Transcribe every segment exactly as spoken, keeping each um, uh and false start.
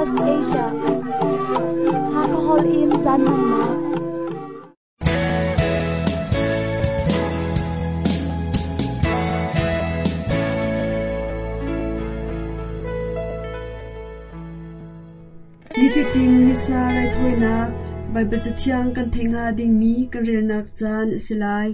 Southwest Asia. Hakahol in caan hmannak. Nifatin Missa raithawinak Baibal Cathiang kan theih hnga dingmi kan relnak caan a si lai.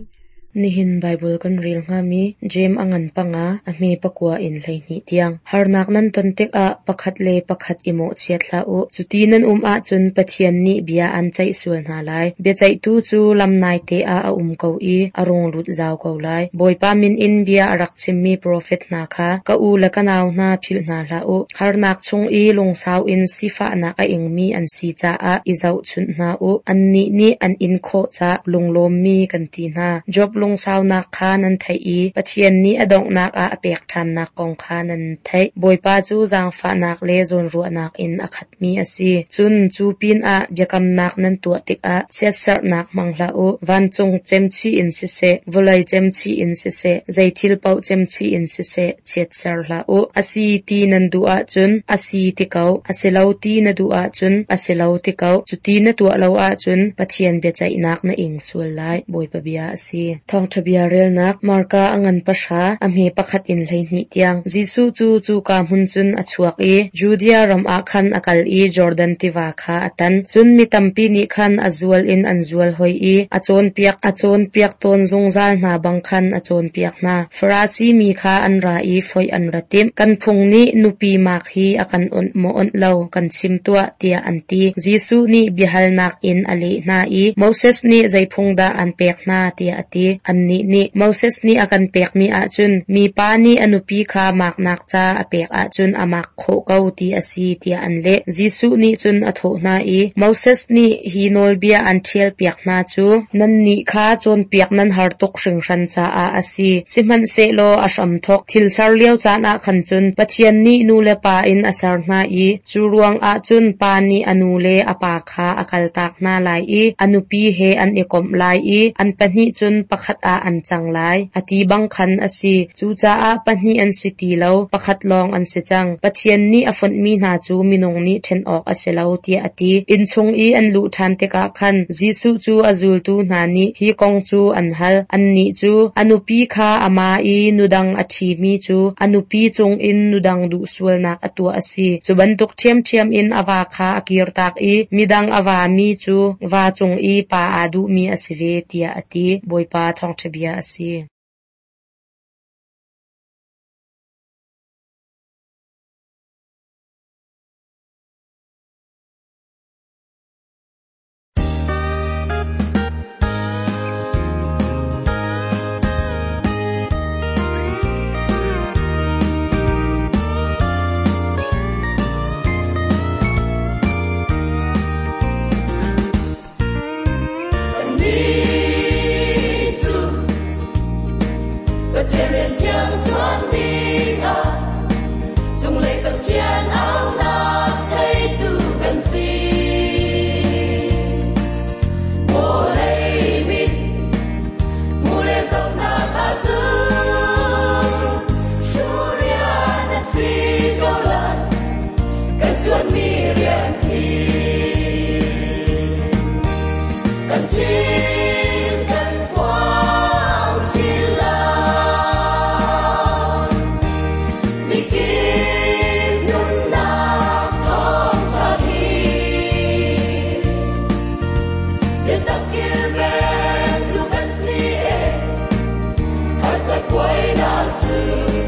Nihin Baibal kan rel hngami Jeim a ngan panga a hme pakua in hleihnih tiang. Harnak nan ton tikah pakhat le pakhat i mawhchiat hlah u. Cuti nan um ahcun Pathian nih bia an ceih sual hna lai. Biaceihtu cu lam naite ah a um ko i a rung lut zau ko lai. Bawipa min in bia a rak chimmi profet hna kha ka u le ka nau hna philh hna hlah u. Harnak chung i lungsau in sifahnak a ingmi an si caah i zohchunh hna u. Annih nih an in khawh ca lunglawmmi kan ti hna. Job lungsaunak kha nan theih i Pathian nih a donghnak ah a pek ṭhannak kong kha nan theih. Bawipa cu zaangfahnak le zawnruahnak in a khatmi a si. Cun cu pinah biakamnak nan tuah tikah chiatserhnak hmang hlah u. Vancung cemchih in siseh, vawlei cemchih in siseh, zei thil paoh cemchih in siseh, chiatser hlah u. A si ti nan duh ahcun a si ti ko, a si lo ti na duh ahcun a si lo ti ko. Cuti na tuah lo ahcun Pathian biaceihnak na ing sual lai. Bawipa bia a si. Thawngṭha bia relnak Marka a ngan pahra a hme pakhat in hleihnih tiang. Jesuh cu cuka hmun cun a chuak i Judea ram ah khan a kal i Jordan tiva kha a tan. Cun mi tampi nih khan a zual in an zual hoi i a cawnpiak a cawnpiak tawn zungzal hna bang khan a cawnpiak hna. Farasi mi kha an ra i foih an ra timh. Kan phung nih nupi mak hi a kan onh maw onh lo kan chim tuah tiah an ti. Jesuh nih biahalnak in a leh hna i Moses nih zei phung dah an pek hna tiah a ti. Annih nih Moses nih a kan pekmi ahcun mipa nih a nupi kha maknak ca a pek ahcun a mak khawh ko ti a si tiah an leh. Jesuh nih cun a thawh hna i Moses nih hi nawlbia an ṭhialpiak hna cu nannih kha cawnpiak nan har tuk hringhran caah a si. Sihmanhsehlaw a hramthawk thil ser lio caan ah khan cun Pathian nih nu le pa in a ser hna i cu ruangah cun pa nih a nu le a pa kha a kaltak hna lai i a nupi he an i komh lai i an pahnih cun pakhat ah an cang lai. A ti bang khan a si. Cucaah pahnih an si ti lo, pakhat lawng an si cang. Pathian nih a fonhmi hna cu minung nih ṭhen awk a si lo tiah a ti. Inn chung i an luh ṭhan tikah khan Jesuh cu a zultu hna nih hi kong cu an hal. Annih cu a nupi kha a ma i nudang a ṭhimi cu a nupi cungin nudang duh sualnak a tuah a si. Cu bantuk ṭhiamṭhiam in a va kha a kirtak i midang a vami cu va cung i pa aa duhmi a si ve tiah a ti. Bawipa thawngṭha bia a si. Kannih cu Pathian rian thiang ṭuan dingah cunglei Pathian aunak theitu kan si. Vawlei mit hmu le zohnak ahcun hruhrian a si ko lai kan ṭuanmi rian hi. Kan chim kan phuang chin lai. Mikip nunnak thawngṭha hi. Biatak kilvengtu kan si e. Harsat buainak cu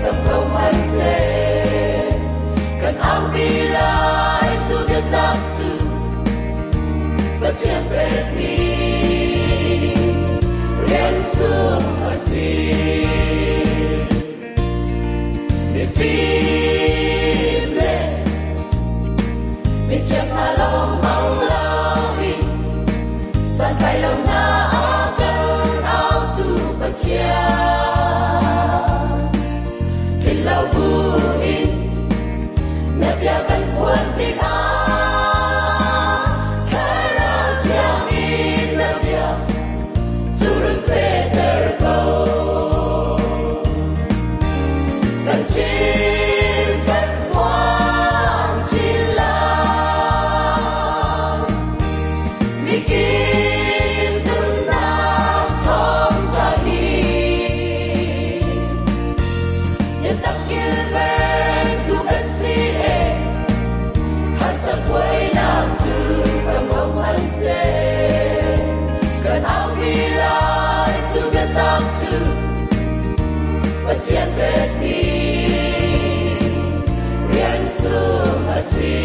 tam ko hmanhseh. Kan aupi lai cu biatak cu Pathian pekmi rian sung a si. Mifim le mithiang hna lawng hmang loin santlai lo hna a kan autu Pathian. Tlin lo buin na bia kan phuan tikah Thlarau Thiang in na bia cu run fehter ko. Kan chim kan phuan chin lai. Pathian pekmi rian sung a si.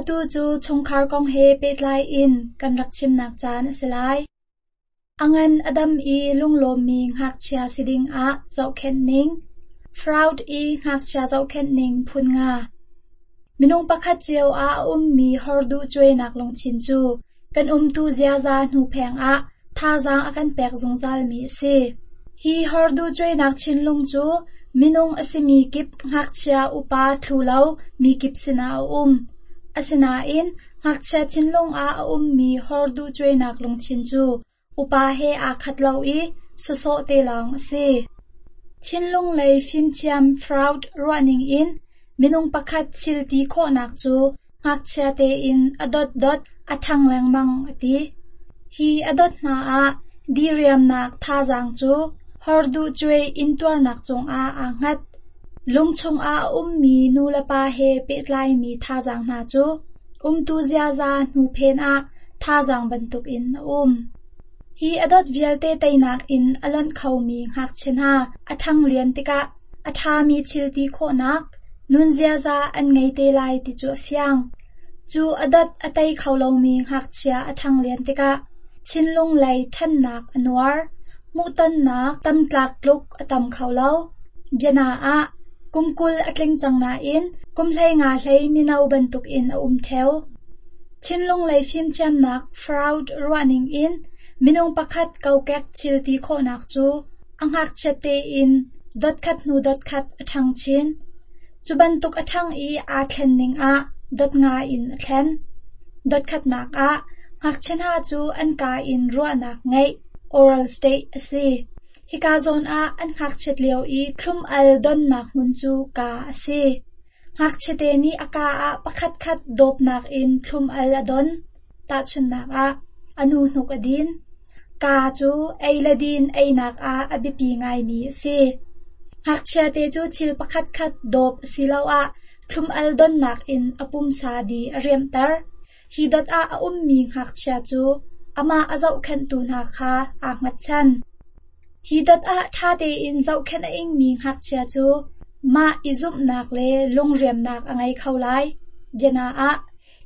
Atu cu chungkhar kong he pehtlai in kan rak chimnak caan a si lai. A ngan a dam i lunglawmmi ngakchia si dingah zohkhenh ning. Freud i ngakchia zohkhenh ning phun nga. Minung pakhat cio ah a ummi horduh cuainak lungthin cu kan umtu ziaza hnupheng ah thazaang a kan pek zungzalmi a si. Hi horduh cuainak thinlung cu minung a simi kip ngakchia upa thlu lo mi kip sinah a um. Asinain ngakchia thinlung ah a ummi horduh cuainak lungthin cu upa he aa khat lo i sawsawh te lawng a si. Thinlung lei fimthiam Freud ruahning in minung pakhat thil ti khawhnak cu ngakchia tein a dotdot a ṭhang lengmang a ti. Hi a dot hna ah diriamnak thazaang cu horduh cuai intuarnak cungah aa hngat. Lung chungah a ummi nulepa he pehtlaimi thazaang hna cu umtu ziaza hnuphen ah thazaang bantukin a um. Hi a dot vialte teinak in a lonh khomi ngakchia hna a ṭhang lian tikah a ṭhami thil ti khawhnak, nun ziaza an ngei te lai ti cu a fiang. Cu a dot a tei kho lomi ngakchia a ṭhang lian tikah thinlung lei ṭhannak a nuar, hmuhtonnak tamtlak tluk a tam kho lo. Biana ah kum kul a tling cang nain kum hlei nga hlei mino bantukin a um ṭheo. Thinlung lei fimthiamnak Freud ruahning in minung pakhat kokek thil ti khawhnak cu a ngakchiat tein dotkhat hnu dotkhat a ṭhang chin. Cu bantuk a ṭhang i aa thlen ning ah dot nga in a thlen. Dotkhatnak ah ngakchia hna cu an kaa in ruahnak ngeih oral state a si. Hika zawn ah an ngakchiat lio i thlum al donnak hmun cu kaa a si. Ngakchiate nih a kaa ah pakhatkhat dawpnak in thlum al a don. Tahchunhnak ah a nu hnuk a din. Kaa cu ei le din einak ah a biapi ngaimi a si. Ngakchiate cu thil pakhatkhat dawp asiloah thlum al donnak in a pumsa di a riamhter. Hi dot ah a ummi ngakchia cu amah a zohkhenhtu hna kha aa hngatchan. Hi dot ah ṭha tein zohkhenh a ingmi ngakchia cu mah i zumhnak le lungriamnak a ngei kho lai. Biana ah,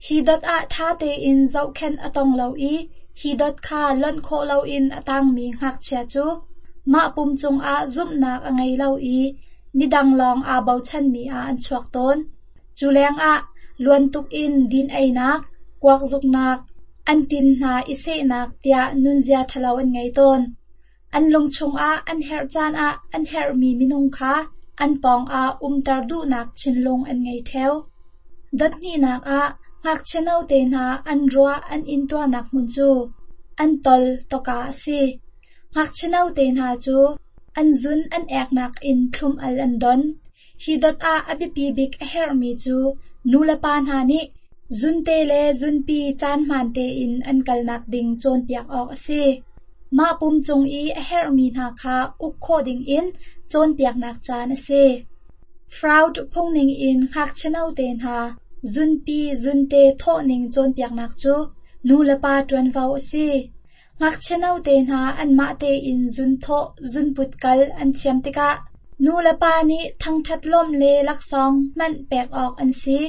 hi dot ah ṭha tein zohkhenh a tong lo i hi dot kha lonh khawh loin a tangmi ngakchia cu mah pum cungah zumhnak a ngei lo i midang lawng aa bochanmi ah an chuak tawn. Cu lengah luan tuk in din einak, kuak zuknak, an tin hna i sehnak tiah nunzia ṭhalo an ngei tawn. An lung chungah an herh caan ah an herhmi minung kha an pawngah umter duhnak thinlung an ngei ṭheo. Dot hnihnak ah ngakchia note hna an ruah an intuarnak hmun cu an tol tawka a si. Ngakchia note hna cu an zun an eknak in thlum-al an don. Hi dot ah a biapi bik a herhmi cu nulepa hna nih zunte le zunpi caan hmaan tein an kalnak ding cawnpiak awk a si. Mah pum cung i a herhmi hna kha uk khawh dingin cawnpiaknak caan a si. Freud phungning in ngakchia note hna zunpi zunte thawhning cawnpiaknak cu nulepa ṭuanvo a si. Ngakchia note hna anmah tein zunthawh zunput kal an thiam tikah nulepa nih thangṭhat lawmh le laksawng hmanh pek awk an si.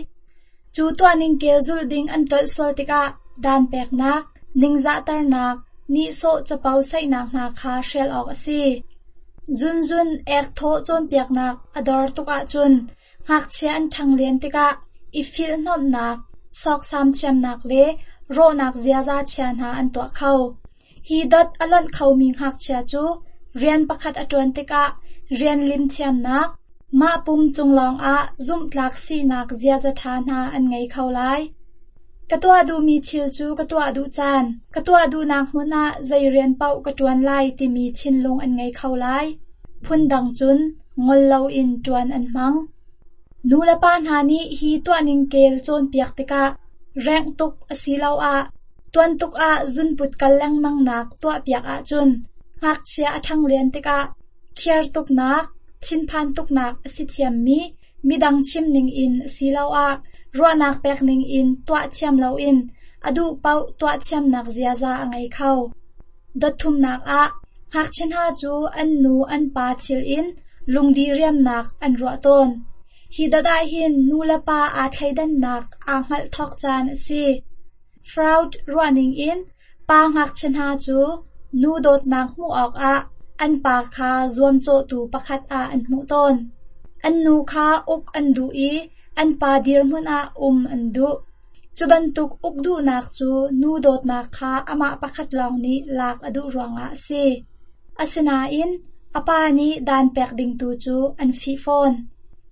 Cu tuahning kel zulh ding an tlolh sual tikah dan peknak, ningzahternak, nihsawh capo saihnak hna kha hrial awk a si. Zunzun ek thawh cawnpiaknak a dor tuk ahcun ngakchia an ṭhanglian tikah i filhhnawmhnak, sawksam thiamnak le rawhnak ziaza chia hna an tuah kho. Hi dot a lonh khomi ngakchia cu rian pakhat a ṭuan tikah rian lim thiamnak, mah pum cung lawngah zumhtlak sinak ziaza ṭha hna an ngei kho lai. Ka tuah duhmi thil cu ka tuah duh caan, ka tuah duhnak hmun ah zei rian paoh ka ṭuan lai timi thinlung an ngei kho lai. Phundang cun ngol loin ṭuan an hmang. Nulepa hna nih hi tuahning kel cawnpiak tikah rengh tuk asiloah tuan tuk ah zunput kal lengmangnak tuahpiak ahcun ngakchia a ṭhanglian tikah khiar tuknak, thinphan tuknak a si thiammi midang chim ningin asiloah ruahnak pek ningin tuah thiam loin a duh paoh tuah thiamnak ziaza a ngei kho. Dot thumnak ah ngakchia hna cu an nu an pa thil in lungdi riamnak an ruah tawn. Hi dot ah hin nu le pa aa thleidannak aa hngalh thawk caan a si. Freud ruahning in pa ngakchia hna cu nu dawtnak hmuh awkah an pa kha zuamcawhtu pakhat ah an hmuh tawn. An nu kha uk an duh i an pa dirhmun ah um an duh. Cu bantuk uk duhnak cu nu dawtnak kha amah pakhat lawng nih lak a duh ruangah a si. Asinain a pa nih dan pek ding tu cu an fih fawn.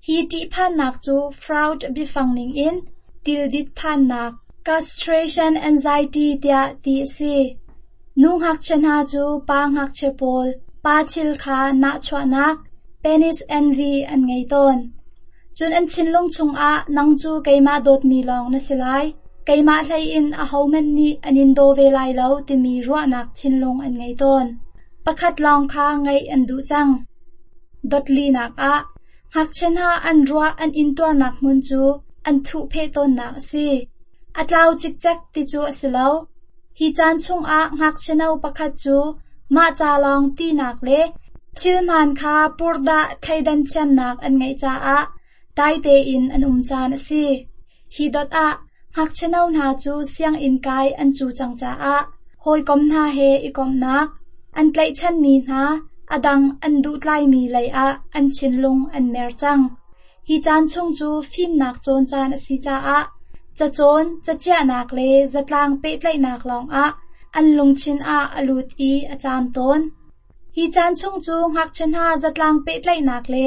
Hi ṭihphannak cu Freud biafang ningin tildit phannak castration anxiety tiah ti a si. Nu ngakchia hna cu pa ngakchia pawl pa thil kha nahchuahnak penis envy an ngei tawn. Cun an thinlung chungah nang cu keimah dawtmi lawng na si lai, keimah hlei in ahohmanh nih an in daw ve lai lo timi ruahnak thinlung an ngei tawn. Pakhat lawng kha ngeih an duh cang. Dotlinak ah ngakchia hna an ruah an intuarnak hmun cu an thuhpheh tawnnak a si. A tlau cikcek ti cu a si lo. Hi caan chungah ngakchia no pakhat cu mah ca lawng tinak le thilhmaan kha purdah thleidan thiamnak an ngeih caah dai tein an um caan a si. Hi dot ah ngakchia no hna cu sianginn kai an cu cang caah hawikom hna he i komhnak, an tlaihchanmi hna a dang an duhtlaimi lei ah an thinlung an mer cang. Hi caan chung cu fimnak cawn caan a si caah cacawn, cachiahnak le zatlang pehtlaihnak lawngah an lungthin ah a lut i a caam tawn. Hi caan chung cu ngakchia hna zatlang pehtlaihnak le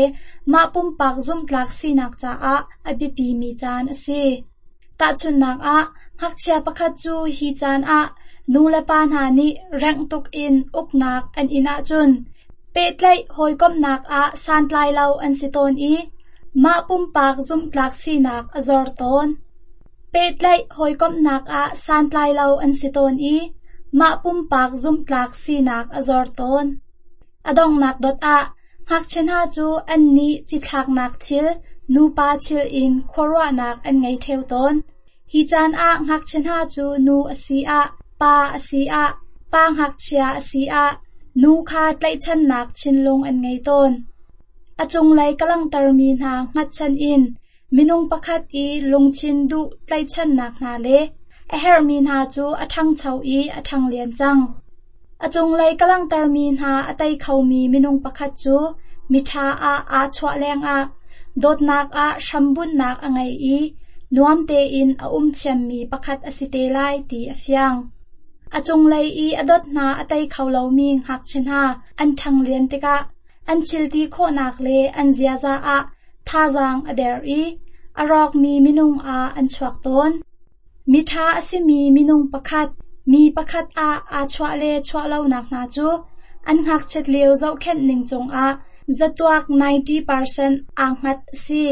mah pumpak zumhtlak sinak caah a biapimi caan a si. Tahchunhnak ah, ngakchia pakhat cu hi caan ah nulepa hna nih rengh tuk in uknak an in ahcun pehtlaih hawikomhnak ah santlai lo an si tawn i mah pumpak zumhtlak sinak a zor tawn. Pehtlaih hawikomhnak ah santlai lo an si tawn i mah pumpak zumhtlak sinak a zor tawn. A donghnak dot ah ngakchia hna cu an nih cithlaknak thil, nupa thil in khuaruahnak an ngei ṭheo tawn. Hi caan ah ngakchia hna cu nu a si ah, pa a si ah, pa ngakchia a si ah, Nu kha tlaihchannak thinlung an ngei tawn. A cunglei ka langhtermi hna hngatchan in minung pakhat i lungthin duh tlaihchannak hna le a herhmi hna cu a ṭhangcho i a ṭhanglian cang. A cunglei ka langhtermi hna a tei khomi minung pakhat cu miṭha ah aa chuah lengah dawtnak ah hrambunhnak a ngei i nuam tein a um thiammi pakhat a si te lai ti a fiang. A cunglei i a dot hna a tei kho lomi ngakchia hna an ṭhanglian tikah an thilti khawhnak le an ziaza ah thazaang a der i a rawkmi minung ah an chuak tawn. Miṭha a simi minung pakhat, mi pakhat ah aa chuah le chuah lonak hna cu an ngakchiat lio zohkhenh ning cungah zatuak ninety percent aa hngat a si.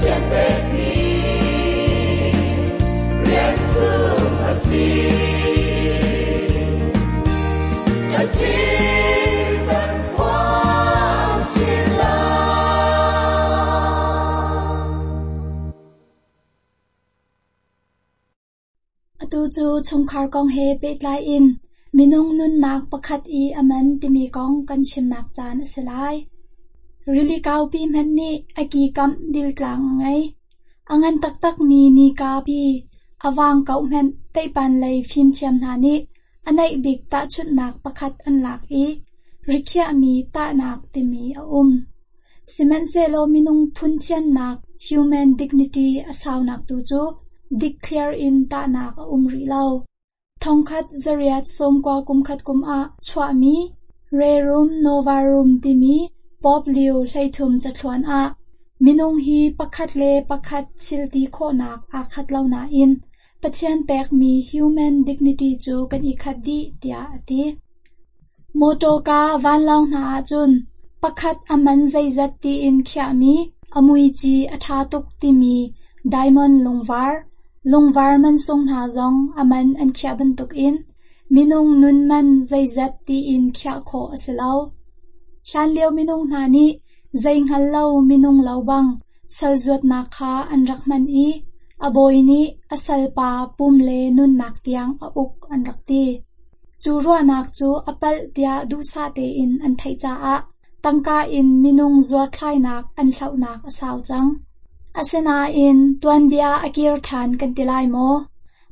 Pathian pekmi rian sung a si. Kan chim kan phuang chin lai. Atu cu chungkhar kong he pehtlai in minung nunnak pakhat i a man timi kong kan chimnak caan a si lai. Rili kaupi hmanh nih a ki kamh diltlang a ngei. A ngan taktakmi nika pi a vang kauh hmanh teipan lei fimthiam hna nih a naih bik tahchunhnak pakhat an lak i rikhiahmi tahnak timi a um. Sihmanhsehlaw minung phun thiannak human dignity a saunak tu cu dikthliar in tahnak a um rih lo. Thongkhat zariat sawmkua kumkhat kum ah chuahmi Rerum Novarum timi Pope Leo hleithum cathluan ah minung hi pakhat le pakhat thil ti khawhnak aa khat lo nain Pathian pekmi human dignity cu kan i khat dih tiah a ti. Mawṭawka vanlawng hna ahcun pakhat a man zeizat tiin khiahmi a muici a ṭha tuk timi diamond lungvar, lungvar mansung hna zong a man an khiah bantukin minung nun man zeizat tiin khiah khawh a si lo. Hlanlio minung hna nih zei hngal lo minung lo bang sal zuatnak kha an rak hman i a bawi nih a salpa pum le nunnak tiang a uk an rak ti. Cu ruahnak cu a palh tiah duhsah tein an theih caah tangka in minung zuarthlainak an hlohnak a sau cang. Asinain tuanbia a kir ṭhan kan ti lai maw?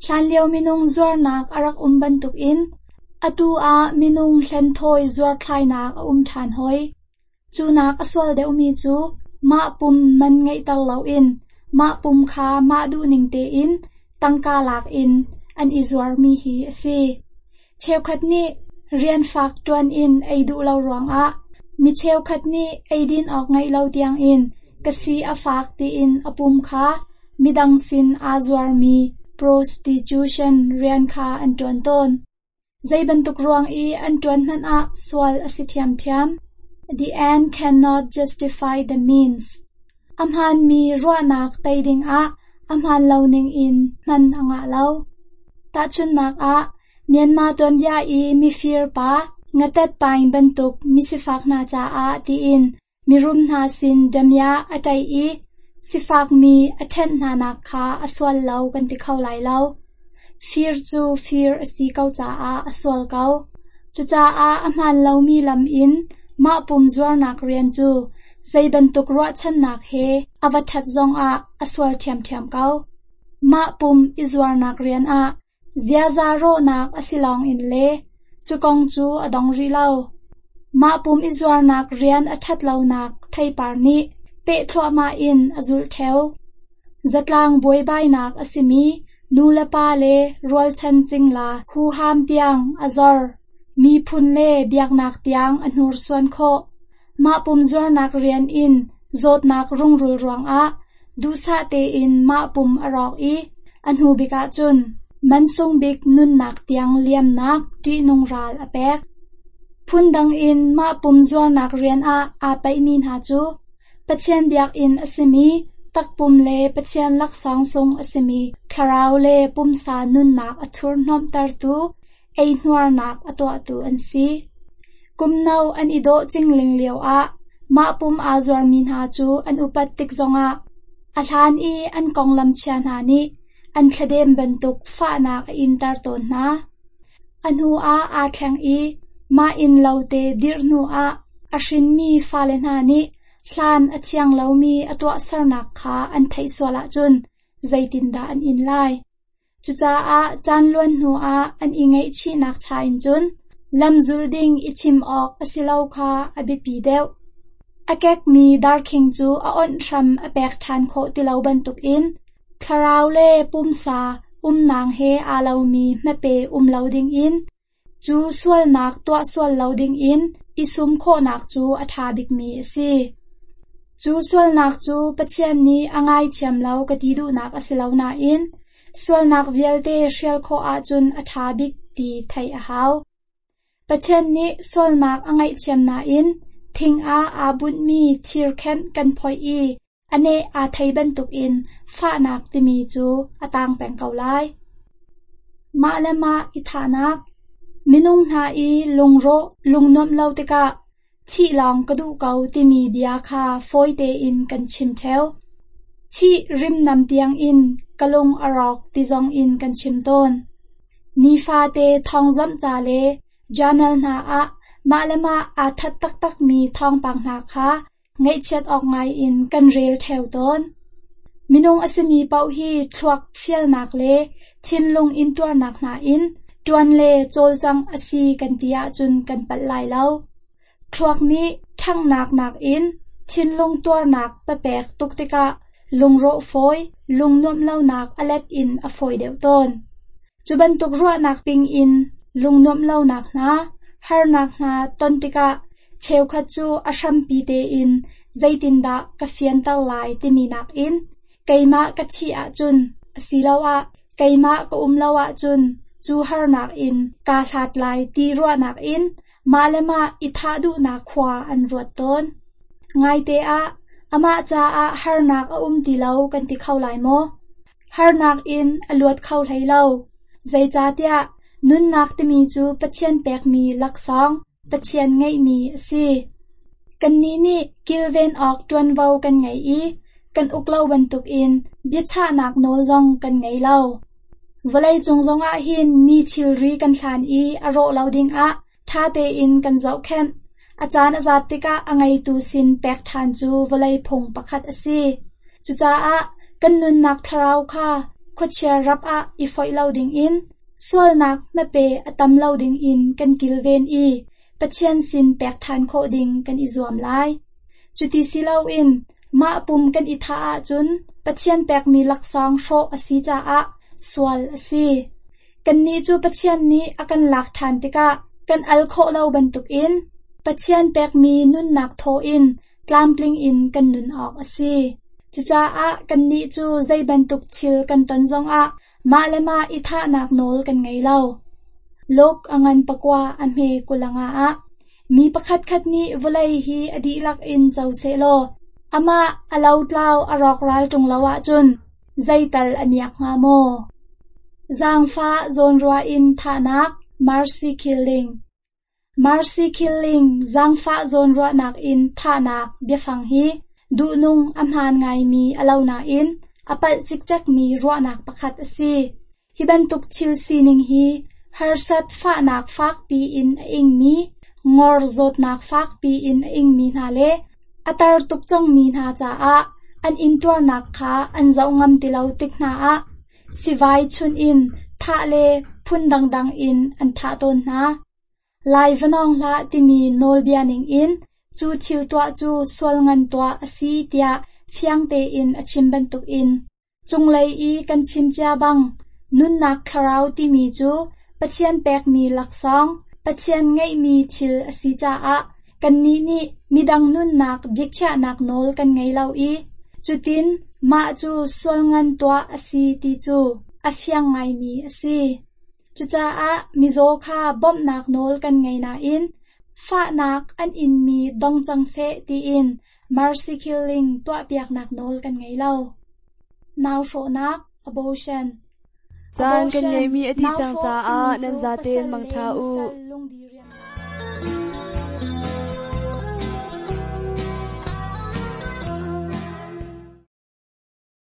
Hlanlio minung zuarnak a rak um bantukin atu ah minung hlenthawi zuarthlainak a um ṭhan hoi. Cunak a sual deuhmi cu mah pum man ngeihter loin mah pum kha mah duhning tein tangka lak in an i zuarmi hi a si. Cheukhat nih rian fak ṭuan in ei duh lo ruangah mi cheukhat nih eidin awk ngeih lo tiangin ka si a fak tiin a pum kha midang sin aa zuarmi prostitution rian kha an ṭuan tawn. Zei bantuk ruang i an ṭuan hmanh ah sual a si ṭhiamṭhiam. The end cannot justify the means. A hmaanmi ruahnak tei dingah a hmaan lo ningin hman a ngah lo. Tahchunhnak ah, Myanmar tuanbia i mifir pa ngatet paing bantuk misifak hna caah tiin mirum hna sin damiah a ṭaih i sifakmi a ṭhenh hnanak kha a sual lo kan ti kho lai lo. Fir cu fir a si ko caah a sual ko. Cucaah a hmaan lomi lam in mah pum zuarnak rian cu zei bantuk ruahchannak he a va ṭhat zongah a sual ṭhiamṭhiam ko. Mah pum i zuarnak rian ah ziaza rawhnak a si lawngin le cu kong cu a dong rih lo. Mah pum i zuarnak rian a ṭhat lonak theipar nih peh thluahmah in a zulh ṭheo. Zatlang buaibainak a simi nu le pa le rualchan cingla huham tiang a zor. Miphun le biaknak tiang a hnursuan khawh. Mah pum zuarnak rian in zawtnak rungrul ruangah duhsah tein mah pum a rawk i a hnu bik ahcun mansung bik nunnak tiang liamnak ṭihnung ral a pek. Phundang in mah pum zuarnak rian ah aa paihmi hna cu Pathian biakinn a simi takpum le Pathian laksawng sung a simi thlarau le pumsa nunnak a thurhnomhtertu eihnuarnak a tuahtu an si. Kum no an i dawh cingling lioah mah pum aa zuarmi hna cu an upat tik zongah a hlan i an konglam chia hna nih an thladem bantuk fahnak a inter tawn hna. A hnu ah aa thleng i mah inn lo te dirh hnuah a hrinmi fale hna nih hlan a thiang lomi a tuahsernak kha an theih sual ahcun zeitindah an in lai. Cucaah caan luan hnuah an i ngaihchihnak cha in cun lamzul ding i chim awk a si lo kha a biapi deuh. A kekmi darkhing cu a onh hram a pek ṭhan khawh ti lo bantukin thlarau le pumsa umnak he aa lomi hmape um lo dingin cu sualnak tuah sual lo dingin i sum khawhnak cu a ṭha bikmi a si. Cu sualnak cu Pathian nih a ngaithiam lo ka ti duhnak a si lo nain sualnak vialte hrial khawh ahcun a ṭha bik ti theih a hau. Pathian nih sualnak a ngaihthiam nain thing ah aa bunhmi thirkhenh kan phoih i A neh aa thei bantukin fahnak timi cu a tang peng ko lai. Mah le mah i thahnak. Minung hna i lungrawh lungnuamh lo tikah thih lawng ka duh ko timi bia kha fawi tein kan chim ṭheo. Thih rimnam tiangin ka lung a rawk ti zongin kan chim tawn. Nifate thawngzamh ca le journal hna ah mah le mah aa that taktakmi thawngpang hna kha ngaihchiat awk ngaiin kan rel ṭheo tawn. Minung a simi paoh hi thluak fialnak le thinlung intuarnak hna in ṭuan le cawlcangh a si kan ti ahcun kan palh lai lo. Thluak nih ṭhanghnak nakin thinlung tuarnak papek tuk tikah lungrawh fawi, lungnuamh lonak a let in a fawi deuh tawn. Cu bantuk ruahnak ping in lungnuamh lonak hna, harnak hna ton tikah cheukhat cu a hrampi tein zeitindah ka fianter lai timi nakin keimah ka thih ahcun asiloah keimah ka um lo ahcun cu harnak in kaa hlat lai ti ruahnak in mah le mah i thah duhnak khua an ruat tawn. Ngaite ah amah caah harnak a um ti lo kan ti kho lai maw? Harnak in a luat kho hlei lo. Zeicahtiah nunnak timi cu Pathian pekmi laksawng, Pathian ngeihmi a si. Kannih nih kilven awk ṭuanvo kan ngei i kan uk lo bantukin biachahnak nawl zong kan ngei lo. Vawleicung zongah hin mi thilri kan hlan i a rawh lo dingah ṭha tein kan zohkhenh. A caan a zat tikah a ngeitu sin pek ṭhan cu vawlei phung pakhat a si. Cucaah kan nunnak thlarau kha khuachia rap ah i foih lo dingin, sualnak hmape a tam lo dingin kan kilven i Pathian sin pek ṭhan khawh ding kan i zuam lai. Cuti si loin mah pum kan i thah ahcun Pathian pekmi laksawng hrawh a si caah sual a si. Kannih cu Pathian nih a kan lak ṭhan tikah kan al khawh lo bantukin Pathian pekmi nunnak thaw in tlamtling in kan nun awk a si. Cucaah kannih cu zei bantuk thil kan ton zongah mah le mah i thahnak nawl kan ngei lo. Luke a ngan pakua a hme kulanga ah mi pakhatkhat nih vawlei hi a dihlak in co sehlaw amah a lotlau a rawkral ṭung lo ahcun zeital a miak hnga maw? Zaangfah zawnruah in thahnak mercy killing. Mercy killing zaangfah zawnruahnak in thahnak biafang hi duhnung a hmaan ngaimi a lo nain a palh cikcekmi ruahnak pakhat a si. Hi bantuk thil sining hi harsat fahnak fakpi in a ingmi, ngor zawtnak fakpi in a ingmi hna le a tar tuk cangmi hna caah an intuarnak kha an zoh ngam ti lo tik hna ah sivai chun in thah le phun dangdang in an thah tawn hna. Lai va nawng hlah timi nawlbia ningin cu thil tuah cu sual ngan tuah a si tiah fiang tein a chim bantukin cunglei i kan chim cia bang nunnak thlarau timi cu Pathian pekmi laksawng, Pathian ngeihmi thil a si caah kannih nih midang nunnak biakhiahnak nawl kan ngei lo i cutin mah cu sual ngan tuah a si ti cu a fiang ngaimi a si. Cucaah mizaw kha bawmhnak nawl kan ngei nain fahnak an inmi dong cang seh tiin mercy killing tuahpiaknak nawl kan ngei lo. Nau hrawhnak abortion. Caan kan ngeihmi a dih cang caah nan zaten mangṭha u.